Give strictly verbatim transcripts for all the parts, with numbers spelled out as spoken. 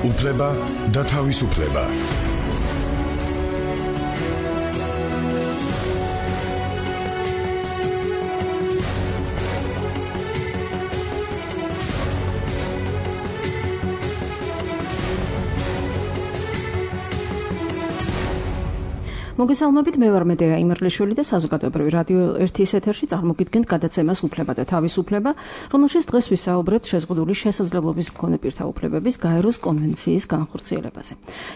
უფლება და თავისუფლება. მოგესალმებით, მე ვარ მედეა იმერლიშვილი და საზოგადოებრივი რადიო ერთის ეთერში წარმოგიდგენთ გადაცემას უფლება და თავისუფლება, რომელშიც დღეს ვისაუბრებთ შეზღუდული შესაძლებლობის მქონე პირთა უფლებების გაეროს კონვენციის განხორციელებაზე.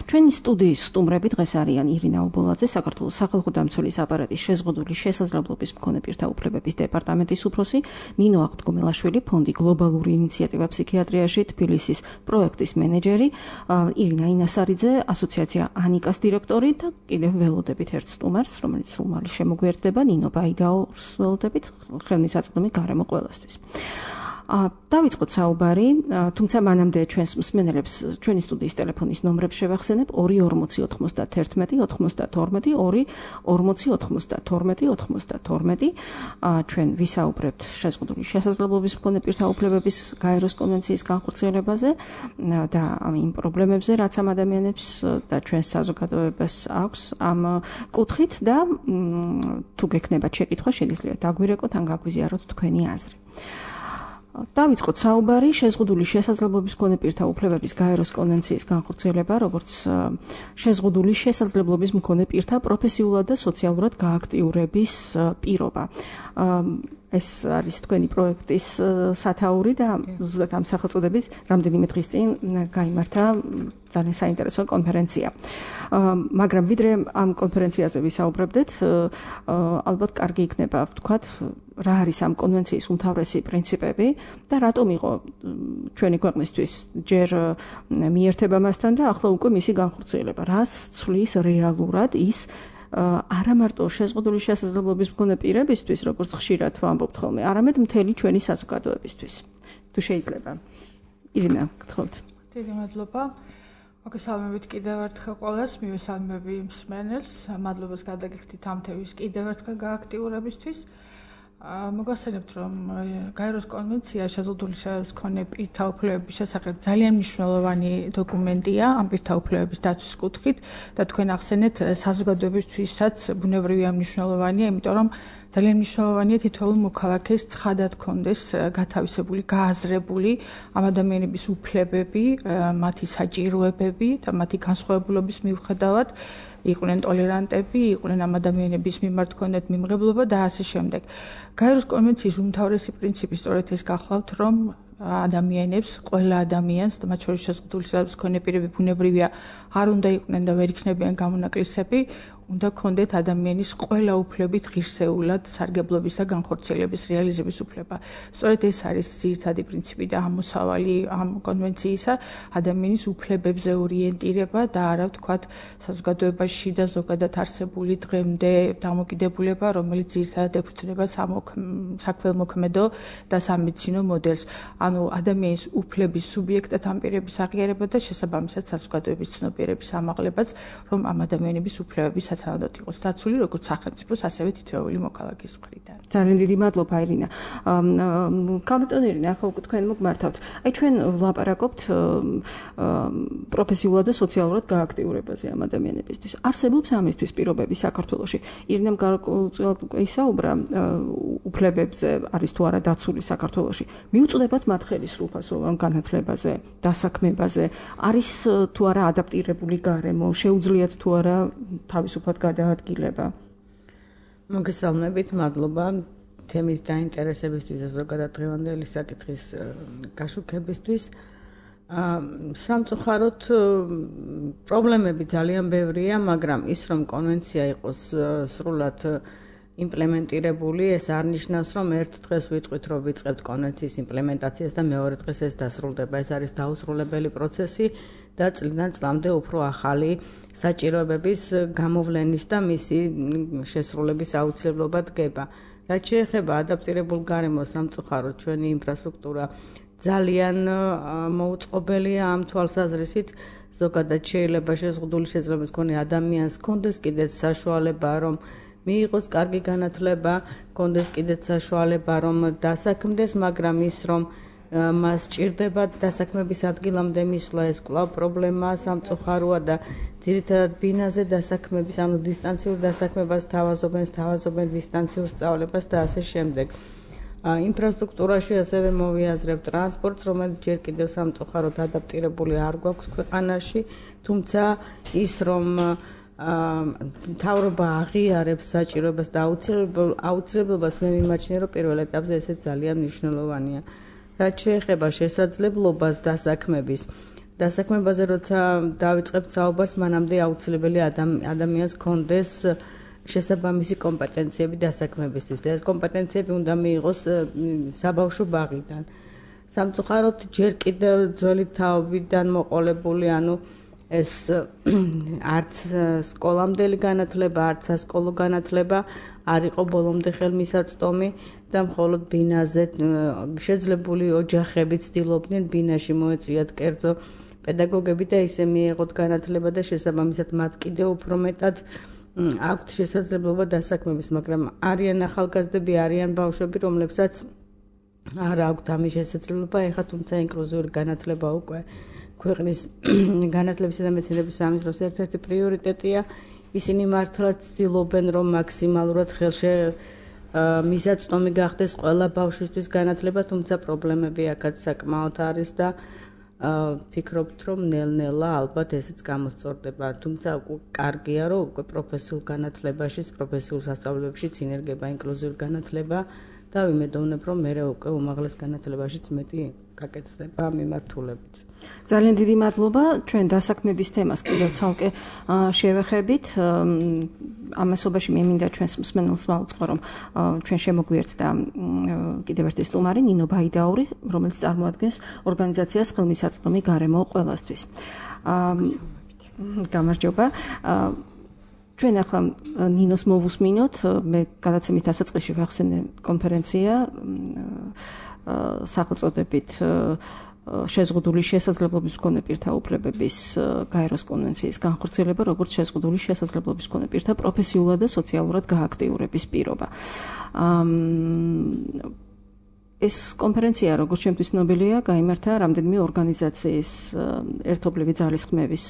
ჩვენი სტუდიის სტუმრები დღეს არიან ირინა უბოლაძე, საქართველოს სახალხო დამცველის აპარატის შეზღუდული შესაძლებლობის მქონე პირთა უფლებების დეპარტამენტის უფროსი, ნინო აღდგომელაშვილი, ფონდი გლობალური ინიციატივა ფსიქიატრიაში, თბილისის პროექტის მენეჯერი, ირინა ინასარიძე, ასოციაცია ანიკას დირექტორი და კიდევ ველოდები ერთ სტუმარს, რომელიც სულ შემოგვიერთდება, ნინო ბაიდაოს ველოდებით, ხელმისაწვდომი გარემო ყველასთვის. დავიწყოთ საუბარი, თუმცა მანამდე ჩვენს მსმენელებს ჩვენი სტუდიის ტელეფონის ნომრებს შევახსენებ ორი ორმოცი ოცდაათი ოცდათორმეტი ორი ორმოცი ოცდათორმეტი ოცდათორმეტი. ჩვენ ვისაუბრებთ შეზღუდული შესაძლებლობის მქონე პირთა უფლებების გაეროს კონვენციის განხორციელებაზე და იმ პრობლემებზე, რაც ამ ადამიანებს და ჩვენს საზოგადოებას აქვს ამ კუთხით და თუ გექნებათ შეკითხვა, შეგიძლიათ დაგვირეკოთ ან გაგვიზიაროთ თქვენი აზრი. დავიწყოთ საუბარი შეზღუდული შესაძლებლობის მქონე პირთა უფლებების გაეროს კონვენციის განხორციელება, როგორც შეზღუდული შესაძლებლობის მქონე პირთა პროფესიულად და სოციალურად გააქტიურების პირობა. ეს არის თქვენი პროექტის სათაური და ზუსტად ამ სახელწოდებით რამდენიმე დღის წინ გაიმართა ძალიან საინტერესო კონფერენცია. მაგრამ ვიდრე ამ კონფერენციაზე ვისაუბრებდეთ, ალბათ კარგი იქნება ვთქვათ, რა არის ამ კონვენციის უმთავრესი პრინციპები და რატომ იყო ჩვენი ქვეყნისთვის ჯერ მიერთება მასთან და ახლა უკვე მისი განხორციელება. რას ცვლის რეალურად ის არა მარტო შეზღუდული შესაძლებლობის მქონე პირებისთვის, როგორც ხშირად ვამბობთ ხოლმე, არამედ მთელი ჩვენი საზოგადოებისთვის. თუ შეიძლება. ირინა, გთხოვთ. დიდი მადლობა. მოგესალმებით კიდევ ერთხელ ყველას, მივესალმები მსმენელს, მადლობას გადაგიხდით ამ თემის კიდევ ერთხელ გააქტიურებისთვის. მოგახსენებთ, რომ გაეროს კონვენცია შეზღუდული შესაძლებლობის მქონე პირთა უფლებების შესახებ ძალიან მნიშვნელოვანი დოკუმენტია ამ პირთა უფლებების დაცვის კუთხით და თქვენ ახსენეთ საზოგადოებისთვისაც ბუნებრივია მნიშვნელოვანია, იმიტომ რომ ძალიან მნიშვნელოვანია თითოეულ მოქალაქეს ცხადად ჰქონდეს გათავისებული, გააზრებული ამ ადამიანების უფლებები, მათი საჭიროებები და მათი განსხვავებულობის მიუხედავად იყვნენ ტოლერანტები, იყვნენ ამ ადამიანების მიმართ ჰქონდეთ მიმღებლობა და ასე შემდეგ. გაეროს კონვენციის უმთავრესი პრინციპი სწორედ ეს გახლავთ, რომ ადამიანებს, ყველა ადამიანს და მათ შორის შეზღუდული შესაძლებლობის მქონე პირები ბუნებრივია არ უნდა იყვნენ და ვერ იქნებიან გამონაკლისები, უნდა ჰქონდეთ ადამიანის ყველა უფლებით ღირსეულად სარგებლობის და განხორციელების რეალიზების უფლება. სწორედ ეს არის ძირითადი პრინციპი და ამოსავალი ამ კონვენციისა, ადამიანის უფლებებზე ორიენტირება და არა ვთქვათ საზოგადოებაში და ზოგადად არსებული დღემდე დამოკიდებულება, რომელიც ძირითადად ეფუძნება საქველმოქმედო და სამედიცინო მოდელს. ანუ ადამიანის უფლების სუბიექტად ამ პირების აღიარება და შესაბამისად საზოგადოების ცნობიერების ამაღლებაც, რომ ამ ადამიანების უფლებები სათანადოდ იყოს დაცული როგორც სახელმწიფოს, ასევე თითოეული მოქალაქის მხრიდან. ძალიან დიდი მადლობა ირინა. კაპიტანი ირინა, ახლა უკვე თქვენ მოგმართავთ. აი ჩვენ ვლაპარაკობთ პროფესიულად და სოციალურად გააქტიურებაზე ამ ადამიანებისთვის. არსებობს ამისთვის პირობები საქართველოში. ირინამ გარკვეულწილად უკვე ისაუბრა უფლებებზე, არის თუ არა დაცული საქართველოში. მიუწვდებათ მათ ხელისუფლებასოვან განათლებაზე, დასაქმებაზე, არის თუ არა ადაპტირებული გარემო, შეუძლიათ თუ არა თავისუფლად გადაადგილება. მოგესალმებით, მადლობა თემის დაინტერესებისთვის და ზოგადად დღევანდელი საკითხის გაშუქებისთვის. სამწუხაროდ პრობლემები ძალიან ბევრია, მაგრამ ის რომ კონვენცია იყოს სრულად იმპლემენტირებული, ეს არ ნიშნავს, რომ ერთ დღეს ვიტყვით, რომ ვიწყებთ კონვენციის იმპლემენტაციას და მეორე დღეს ეს დასრულდება. ეს არის დაუსრულებელი პროცესი და წლიდან წლამდე უფრო ახალი საჭიროებების გამოვლენის და მისი შესრულების აუცილებლობა დგება. რაც შეეხება ადაპტირებულ გარემოს, სამწუხაროდ ჩვენი ინფრასტრუქტურა ძალიან მოუწყობელია ამ თვალსაზრისით. ზოგადად შეიძლება შეზღუდული შესაძლებლობის მქონე ადამიანს ჰქონდეს კიდეც საშუალება, რომ მიიღოს კარგი განათლება, ჰქონდეს კიდეც საშუალება, რომ დასაქმდეს, მაგრამ ის რომ მას ჭირდება დასაქმების ადგილამდე მისვლა, ეს კვლავ პრობლემაა სამწუხაროა და ძირითადად ბინაზე დასაქმების, ანუ დისტანციურ დასაქმებას თავაზობენ, თავაზობენ დისტანციურ სწავლებას და ასე შემდეგ. ინფრასტრუქტურაში ასევე მოვიაზრებ ტრანსპორტს, რომელიც ჯერ კიდევ სამწუხაროდ ადაპტირებული არ გვაქვს ქვეყანაში, თუმცა ის რომ მთავრობა აღიარებს საჭიროებას და აუცილებლობას მე მიმაჩნია, რომ პირველ ეტაპზე ესეც ძალიან მნიშვნელოვანია. რაც შეეხება შესაძლებლობას დასაქმების, დასაქმებაზე როცა დავიწყებთ საუბარს, მანამდე აუცილებელი ადამიანს ჰქონდეს შესაბამისი კომპეტენციები დასაქმებისთვის და ეს კომპეტენციები უნდა მიიღოს საბავშვო ბაღიდან. სამწუხაროდ ჯერ კიდევ ძველი თაობიდან მოყოლებული, ანუ ეს არც სკოლამდელი განათლება, არც სასკოლო განათლება არ იყო ბოლომდე ხელმისაწვდომი და მხოლოდ ბინაზე შეძლებული ოჯახები ცდილობდნენ ბინაში მოეწვიათ კერძო პედაგოგები და ისე მიეღოთ განათლება და შესაბამისად მათ კიდევ უფრო მეტად აქვთ შესაძლებლობა დასაქმების, მაგრამ არიან ახალგაზრდები, არიან ბავშვები, რომლებსაც არ აქვთ ამის შესაძლებლობა, ეხლა თუმცა ინკლუზიური განათლება უკვე ქვეყნის განათლებისა და მეცნიერების სამინისტროს ერთ-ერთი პრიორიტეტია. ისინი მართლაც ცდილობენ, რომ მაქსიმალურად ხელშე მისაწვდომი გახდეს ყველა ბავშვისთვის განათლება, თუმცა პრობლემები აქაც საკმაოდ არის და ფიქრობთ, რომ ნელ-ნელა ალბათ ესეც გამოსწორდება. თუმცა კარგია, რომ უკვე პროფესიულ განათლებაშიც, პროფესიულ სასწავლებლებშიც ინერგება ინკლუზიური განათლება და ვიმედოვნებ, რომ მე უკვე უმაღლეს განათლებაშიც მეტი გაკეთდება მიმართულებით. ძალიან დიდი მადლობა. ჩვენ დასაქმების თემას კიდევ ცალკე შევეხებით. ამასობაში მე მინდა ჩვენს მსმენელს მოვუწყო, რომ ჩვენ შემოგვიერთდა კიდევ ერთი სტუმარი ნინო ბაიდაური, რომელიც წარმოადგენს ორგანიზაციას ხელმისაწვდომი გარემო ყველასთვის. გამარჯობა. ჩვენ ახლა ნინოს მოვუსმინოთ, მე გადაცემის დასაწყისში ვახსენე კონფერენცია სახელწოდებით შეზღუდული შესაძლებლობის მქონე პირთა უფლებების გაეროს კონვენციის განხორციელება, როგორც შეზღუდული შესაძლებლობის მქონე პირთა პროფესიულად და სოციალურად გააქტიურების პირობა. ეს კონფერენცია, როგორც ჩემთვის ნობელია, გაიმართა რამდენიმე ორგანიზაციის ერთობლივი ძალისხმევის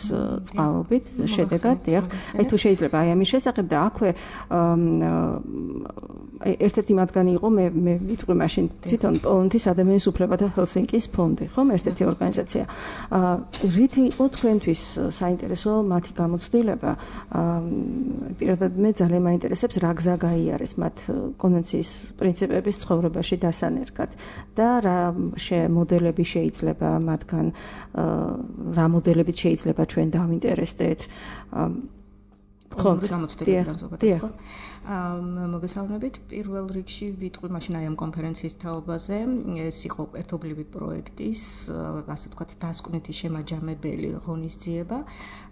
წყალობით, შედეგად, დიახ. აი თუ შეიძლება აი ამის შესახებ და აქვე ერთ-ერთი მათგანი იყო, მე მე ვიტყვი მაშინ თვითონ პოლონეთის ადამიანის უფლებათა ჰელსინკის ფონდი, ხომ, ერთ-ერთი ორგანიზაცია. რითი იყო თქვენთვის საინტერესო მათი გამოცდილება? პირადად მე ძალიან მაინტერესებს, რა გზა გაიარეს მათ კონვენციის პრინციპების ცხოვრებაში დასანერგად. და რა მოდელები შეიძლება მათგან, რა მოდელებით შეიძლება ჩვენ დავინტერესდეთ. ხო, გამოცდილებიდან ზოგადად. მოგესალმებით. პირველ რიგში ვიტყვი მაშინ აი ამ კონფერენციის თაობაზე. ეს იყო ერთობლივი პროექტის, ასე ვთქვათ, დასკვნითი შემაჯამებელი ღონისძიება.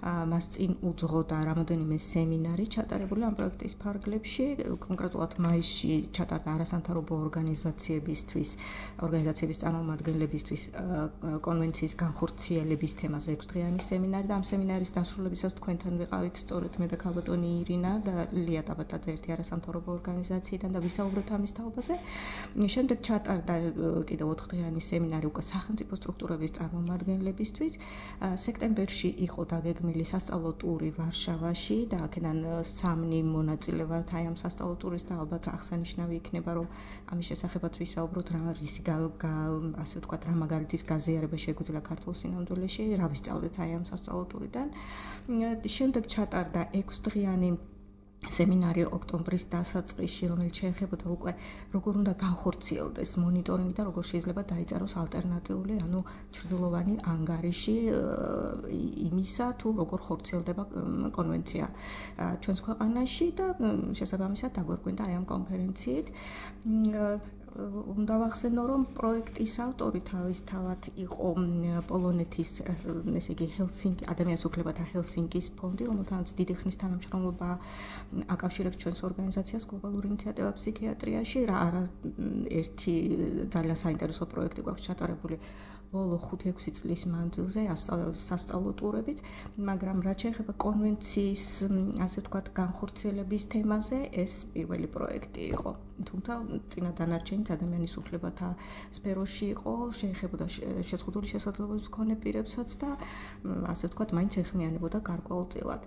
მას წინ უძღოდა რამოდენიმე სემინარი ჩატარებული ამ პროექტის ფარგლებში. კონკრეტულად მაისში ჩატარდა არასამთავრობო ორგანიზაციებისთვის, ორგანიზაციების წარმომადგენლებისთვის კონვენციის განხორციელების თემაზე ექვსდღიანი სემინარი და ამ სემინარის დასრულებისას თქვენთან ვიყავით სწორედ მე და ქალბატონი ირინა და ლია ტაბატაძე ერთი არასამთავრობო ორგანიზაციიდან და ვისაუბრეთ ამის თაობაზე. შემდეგ ჩატარდა კიდევ ოთხდღიანი სემინარი უკვე სახელმწიფო სტრუქტურების წარმომადგენლებისთვის. სექტემბერში იყო დაგეგმილი სასწავლო ტური ვარშავაში და აქედან სამნი მონაწილე ვართ აი ამ სასწავლო ტურის და ალბათ აღსანიშნავი იქნება, რომ ამის შესახებაც ვისაუბროთ, რა არის ასე ვთქვათ, რა მაგალითის გაზიარება შეგვიძლია ქართულ სინამდვილეში, რა ვისწავლეთ აი ამ სასწავლო ტურიდან. შემდეგ ჩატარდა ექვსდღიანი სემინარი ოქტომბრის დასაწყისში, რომელიც შეეხებოდა უკვე როგორ უნდა განხორციელდეს მონიტორინგი და როგორ შეიძლება დაიწეროს ალტერნატიული, ანუ ჩრდილოვანი ანგარიში იმისა, თუ როგორ ხორციელდება კონვენცია ჩვენს ქვეყანაში და შესაბამისად დაგვერკვინდა აი ამ კონფერენციით. უნდა ვახსენო, რომ პროექტის ავტორი თავისთავად იყო პოლონეთის, ესე იგი, ჰელსინკი, ადამიანის უფლებათა ჰელსინკის ფონდი, რომელთანაც დიდი ხნის თანამშრომლობა აკავშირებს ჩვენს ორგანიზაციას გლობალური ინიციატივა ფსიქიატრიაში. რა არა ერთი ძალიან საინტერესო პროექტი გვაქვს ჩატარებული ბოლო ხუთი-ექვსი წლის მანძილზე სასწავლო ტურებით, მაგრამ რაც შეეხება კონვენციის, ასე ვთქვათ, განხორციელების თემაზე, ეს პირველი პროექტი იყო. თუმცა წინა დანარჩენიც ადამიანის უფლებათა სფეროში იყო, შეეხებოდა შეზღუდული შესაძლებლობის მქონე პირებსაც და ასე ვთქვათ, მაინც ეხმიანებოდა გარკვეულწილად.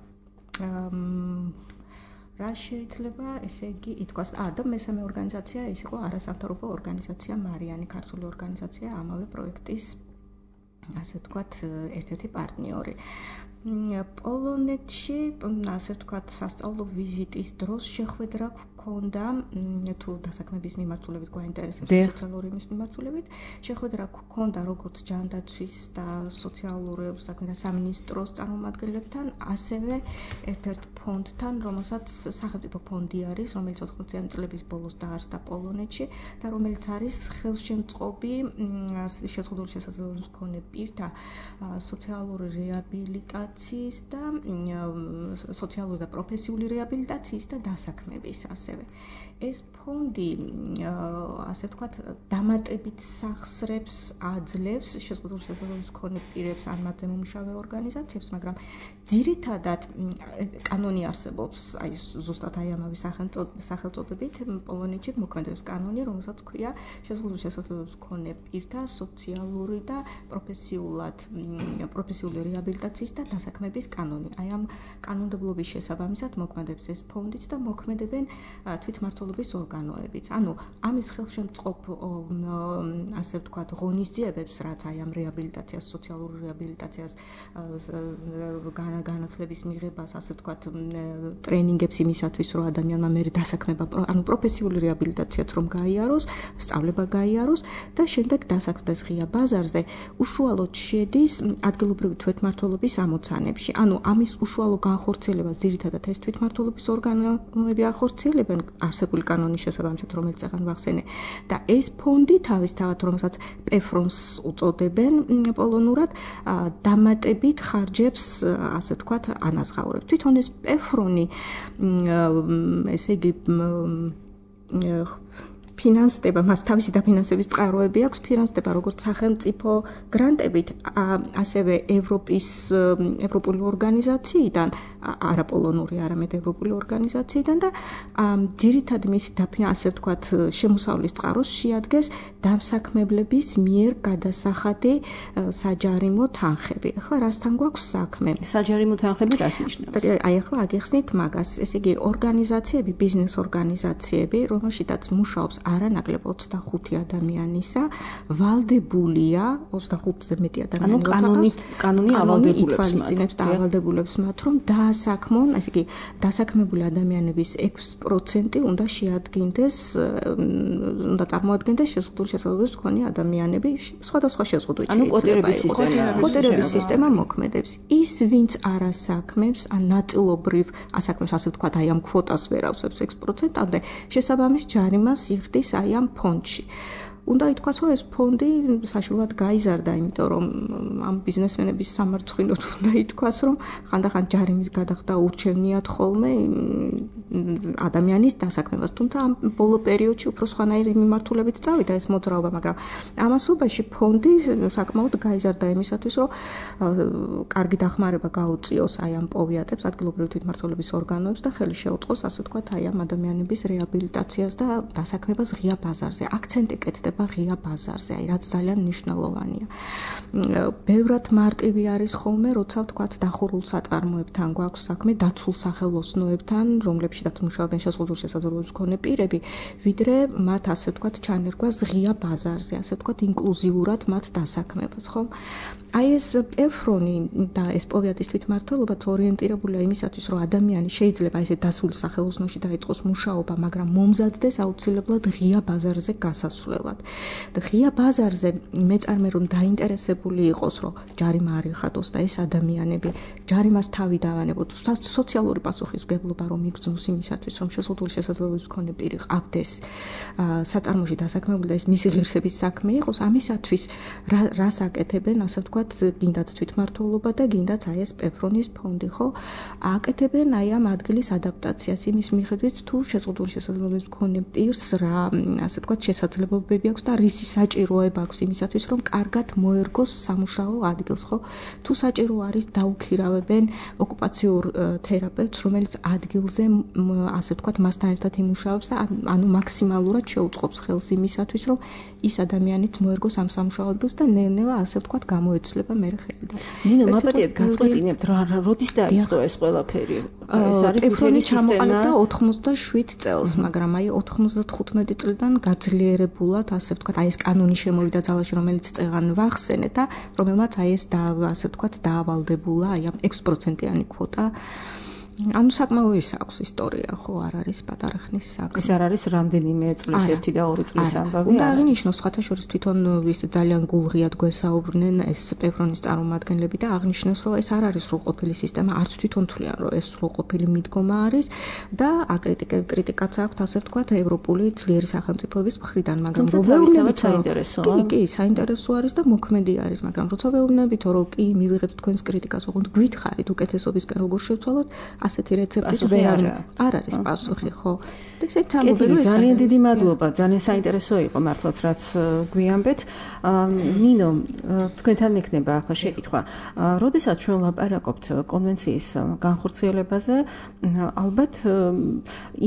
რა შეიძლება ესე იგი ითქვას, ა და მესამე ორგანიზაცია ეს იყო არასამთავრობო ორგანიზაცია მარიანი, ქართული ორგანიზაცია ამავე პროექტის ასე ვთქვათ ერთ-ერთი პარტნიორი. პოლონეთში ასე ვთქვათ სასწავლო ვიზიტის დროს შეხვედრა გქონდა თუ დასაქმების მიმართულებით გვაინტერესებს სოციალური იმის მიმართულებით შეხვედრა გქონდა როგორც ჯანდაცვის და სოციალური საქმეთა სამინისტროს წარმომადგენლებთან, ასევე ერთ-ერთ ფონდთან, რომელსაც სახელმწიფო ფონდი არის, რომელიც ოთხმოციანი წლების ბოლოს დაარსდა პოლონეთში და რომელიც არის ხელშემწყობი შეზღუდული შესაძლებლობის მქონე პირთა სოციალური რეაბილიტაციის და სოციალური და პროფესიული რეაბილიტაციის და დასაქმების ასევე. ეს ფონდი ასე ვთქვათ დამატებით სახსრებს აძლევს შეზღუდული შესაძლებლობის მქონე პირებს ან მათზე მომუშავე ორგანიზაციებს, მაგრამ ძირითადად კანონი არსებობს, აი ზუსტად აი ამავე სახელწოდებით პოლონეთში მოქმედებს კანონი, რომელსაც ქვია შეზღუდული შესაძლებლობის მქონე პირთა სოციალური და პროფესიულად პროფესიული რეაბილიტაციის და დასაქმების კანონი. აი ამ კანონმდებლობის შესაბამისად მოქმედებს ეს ფონდიც და მოქმედებენ თვითმმართველობის ორგანოებიც. ანუ ამის ხელშემწყობ ასე ვთქვათ ღონისძიებებს, რაც აი ამ რეაბილიტაციას, სოციალური რეაბილიტაციას, განათლების მიღებას, ასე ვთქვათ, ტრენინგებს იმისათვის, რომ ადამიანმა მერე დასაქმება, ანუ პროფესიული რეაბილიტაციაც რომ გაიაროს, სწავლება გაიაროს და შემდეგ დასაქმდეს ღია ბაზარზე, უშუალოდ შედის ადგილობრივი თვითმმართველობის ამოცანებში. ანუ ამის უშუალო განხორციელებას ძირითადად ეს თვითმმართველობის ორგანოები ახორციელებენ არსებული კანონის შესაბამისად, რომელიც ახლა ვახსენე. და ეს ფონდი თავისთავად, რომელსაც პეფრონს უწოდებენ პოლონურად, დამატებით ხარჯებს, ასე ვთქვათ, ანაზღაურებს. თვითონ ეს პეფრონი, ესე იგი ფინანსდება, მას თავისი დაფინანსების წყაროები აქვს, ფინანსდება როგორც სახელმწიფო გრანტებით, ასევე ევროპის ევროპული ორგანიზაციიდან, არაპოლონური, არამედ ევროპული ორგანიზაციიდან და ძირითადად მისი ასე ვთქვათ, შემოსავლის წყაროს შეადგენს დამსაქმებლების მიერ გადასახადი საჯარიმო თანხები. ახლა რასთან გვაქვს საქმე? საჯარიმო თანხები რას ნიშნავს? აი ახლა აგიხსნით მაგას, ესე იგი ორგანიზაციები, ბიზნეს ორგანიზაციები, რომელშიც მუშაობს არანაკლებ ოცდახუთი ადამიანისა, ვალდებულია ოცდახუთზე მეტი ადამიანი. ანუ კანონით კანონი ავალდებულებს და ავალდებულებს მათ, რომ დაასაქმონ, ესე იგი დასაქმებული ადამიანების ექვსი პროცენტი უნდა შეადგენდეს, უნდა წარმოადგენდეს შეზღუდული შესაძლებლობის მქონე ადამიანები, სხვადასხვა შეზღუდვით. ანუ კვოტირების სისტემა. კვოტირების სისტემა მოქმედებს. ის, ვინც არ ასაქმებს, ან ნაწილობრივ ასაქმებს, ასე ვთქვათ, აი ამ კვოტას ვერ ავსებს ექვსი პროცენტამდე, შესაბამის ჯარიმას იხდის აი ამ ფონდში. უნდა ითქვას, რომ ეს ფონდი საშუალოდ გაიზარდა, იმიტომ რომ ამ ბიზნესმენების სამარცხვინოდ უნდა ითქვას, რომ ხანდახან ჯარიმის გადახდა ურჩევნიათ ხოლმე ადამიანის დასაქმებას. თუმცა ამ ბოლო პერიოდში უფრო სხვანაირი მიმართულებით წავიდა ეს მოძრაობა, მაგრამ ამასობაში ფონდი საკმაოდ გაიზარდა იმისათვის, რომ კარგი დახმარება გაუწიოს აი ამ პოვიატებს, ადგილობრივი თვითმმართველობის ორგანოებს და ხელი შეუწყოს, ასე ვთქვათ, აი ამ ადამიანების რეაბილიტაციას და დასაქმებას ღია ბაზარზე. აქცენტი კეთდება ღია ბაზარზე, აი რაც ძალიან მნიშვნელოვანია. ბევრად მარტივი არის ხოლმე, როცა ვთქვათ დახურულ საწარმოებთან გვაქვს საქმე, დაცულ სახელოსნოებთან, რომლებშიც მუშაობენ შეზღუდული შესაძლებლობის მქონე პირები, ვიდრე მათ ასე ვთქვათ ჩანერგვას ღია ბაზარზე, ასე ვთქვათ ინკლუზიურად მათ დასაქმებას, ხო? აი ეს პეფრონი და ეს პოვიატის თვითმმართველობაც ორიენტირებულია იმისათვის, რომ ადამიანი შეიძლება ესე დასულ სახელოსნოში დაიწყოს მუშაობა, მაგრამ მომზადდეს აუცილებლად ღია ბაზარზე გასასვლელად. და ღია ბაზარზე მეწარმე რომ დაინტერესებული იყოს, რომ ჯარიმა არ იხადოს და ეს ადამიანები ჯარიმას თავი დავანებოთ, სოციალური პასუხისმგებლობა რომ იგრძნოს იმისათვის, რომ შეზღუდული შესაძლებლობის მქონე პირი ყავდეს საწარმოში დასაქმებული და ეს მისი ღირსების საქმე იყოს, ამისათვის რას აკეთებენ, ასე ვთქვათ, გინდაც თვითმმართველობა და გინდაც აი ეს პეფრონის ფონდი, ხო? აკეთებენ აი ამ ადგილის ადაპტაციას იმის მიხედვით, თუ შეზღუდული შესაძლებლობის მქონე პირს რა, ასე ვთქვათ, შესაძლებლობები აქვს და რისი საჭიროება აქვს იმისათვის, რომ კარგად მოერგოს სამუშაო ადგილს, ხო? თუ საჭირო არის დაუქირავებენ ოკუპაციურ თერაპევტს, რომელიც ადგილზე ასე ვთქვათ, მასთან ერთად იმუშაობს და ანუ მაქსიმალურად შეუწყობს ხელს იმისათვის, რომ ის ადამიანიც მოერგოს ამ სამუშაო ადგილს და ნელ-ნელა ასე ვთქვათ, გამოეცლება მე ხელი და ნინო, მაპატიეთ გაწყვეტინებთ რა როდის დაიწყო ეს ყველაფერი? ეს არის მთელი სისტემა ოცდაშვიდ წელს, მაგრამ აი ოცდათხუთმეტი წლიდან გაძლიერებულად, ასე ვთქვათ, აი ეს კანონი შემოვიდა ძალაში, რომელიც წეღან ვახსენეთ და რომელმაც აი ეს და ასე ვთქვათ, დაავალდებულა აი ამ ექვსი პროცენტიანი კვოტა. ანუ საკმაო ის აქვს ისტორია, ხო, არ არის პატარა ხნის საქმე. ეს არ არის რამდენიმე წლის ერთი და ორი წლის ამბავი. უნდა აღინიშნოს, სხვათა შორის თვითონ ის ძალიან გულღიად გვესაუბრნენ ეს პევრონის წარმომადგენლები და აღნიშნოს, რომ ეს არ არის სრულყოფილი სისტემა, არც თვითონ თვლიან, რომ ეს სრულყოფილი მიდგომა არის და აკრიტიკაც აქვს, ასე ვთქვათ, ევროპული ძლიერი სახელმწიფოების მხრიდან, მაგრამ რო ვეუბნებით საინტერესოა. კი, კი, საინტერესო არის და მოქმედი არის, მაგრამ როცა ვეუბნებით, რომ კი, მივიღებთ თქვენს კრიტიკას, ოღონდ გვითხრით უკეთესობისკენ როგორ შევცვალოთ, ასეთი რეცეპტი ვერ არ არის პასუხი, ხო? ესეც ამბობენ, რომ ძალიან დიდი მადლობა, ძალიან საინტერესო იყო მართლაც რაც გვიამბეთ. ნინო, თქვენთან მექნება ახლა შეკითხვა. როდესაც ჩვენ ვლაპარაკობთ კონვენციის განხორციელებაზე, ალბათ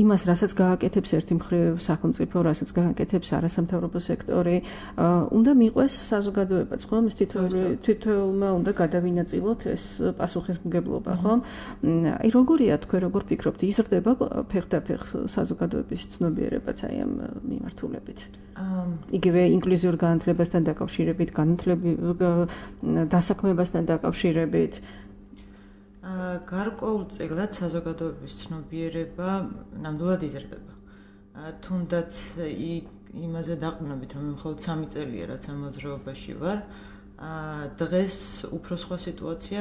იმას, რასაც გააკეთებს ერთი მხრივ სახელმწიფო, რასაც გააკეთებს არასამთავრობო სექტორი, უნდა მიყვეს საზოგადოებაც, ხო? მის თითოეულმა უნდა გადავინაწილოთ ეს პასუხისმგებლობა, ხო? აი როგორია თქვენ როგორ ფიქრობთ, იზრდება ფეხდაფეხ საზოგადოების ცნობიერებაც აი ამ მიმართულებით? იგივე ინკლუზიურ განათლებასთან დაკავშირებით, დასაქმებასთან დაკავშირებით. გარკვეულწილად საზოგადოების ცნობიერება ნამდვილად იზრდება. თუნდაც იმაზე დაყრდნობით, რომ მხოლოდ სამი წელია, რაც ამ მოძრაობაში ვარ. დღეს უფრო სხვა სიტუაცია,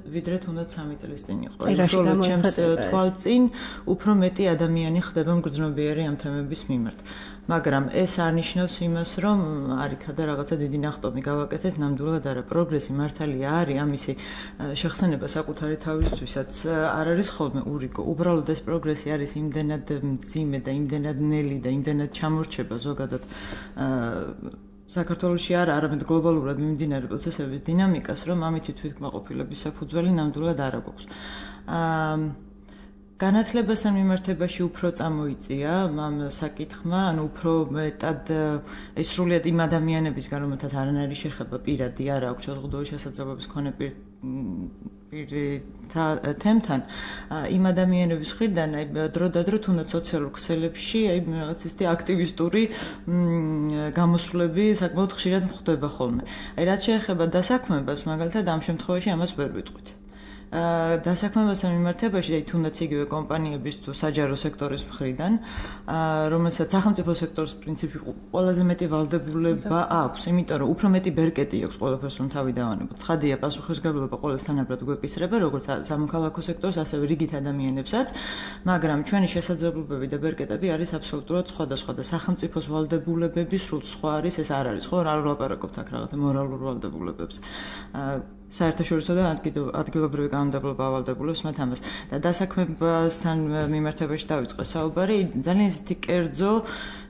ვიდრე თუნდაც სამი წლის წინ იყო. უშუალოდ ჩემს თვალწინ უფრო მეტი ადამიანი ხდება მგრძნობიერი ამ თემების მიმართ. მაგრამ ეს არ ნიშნავს იმას, რომ არიქა და რაღაცა დიდი ნახტომი გავაკეთეთ, ნამდვილად არა. პროგრესი მართალია არის, ამისი შეხსენება საკუთარი თავისთვისაც არ არის ხოლმე ურიგო. უბრალოდ ეს პროგრესი არის იმდენად მძიმე და იმდენად ნელი და იმდენად ჩამორჩება ზოგადად საქართველოში არ არამედ გლობალურად მიმდინარე პროცესების დინამიკას, რომ ამითი თვითკმაყოფილების საფუძველი ნამდვილად არ აქვს. განათლებასთან მიმართებაში უფრო წამოიწია ამ საკითხმა, ანუ უფრო მეტად ეს სრულიად იმ ადამიანებისგან, რომელთაც არანაირი შეხება პირადი არ აქვს შეზღუდული შესაძლებლობის მქონე პირთა თემთან, იმ ადამიანების მხრიდან აი დრო და დრო თუნდაც სოციალურ ქსელებში აი რაღაც ისეთი აქტივისტური გამოსვლები საკმაოდ ხშირად ხდება ხოლმე. აი რაც შეეხება დასაქმებას, მაგალითად ამ შემთხვევაში ამას ვერ ვიტყვით. დასაქმებასთან მიმართებაში, აი თუნდაც იგივე კომპანიების თუ საჯარო სექტორის მხრიდან, რომელსაც სახელმწიფო სექტორის პრინციპში ყველაზე მეტი ვალდებულება აქვს, იმიტომ რომ უფრო მეტი ბერკეტი აქვს ყველაფერს რომ თავი დავანებოთ. ცხადია, პასუხისმგებლობა ყოველს თანაბრად გვეკისრება, როგორც სამოქალაქო სექტორს, ასევე რიგით ადამიანებსაც, მაგრამ ჩვენი შესაძლებლობები და ბერკეტები არის აბსოლუტურად სხვადასხვა და სახელმწიფოს ვალდებულებები სულ სხვა არის, ეს არ არის, ხო, არ ვლაპარაკობთ აქ რაღაცა მორალურ ვალდებულებებს. საერთაშორისო და ადგილობრივი კანონმდებლობა ავალდებულებს მათ ამას. და დასაქმებასთან მიმართებაში დავიწყე საუბარი, ძალიან ისეთი კერძო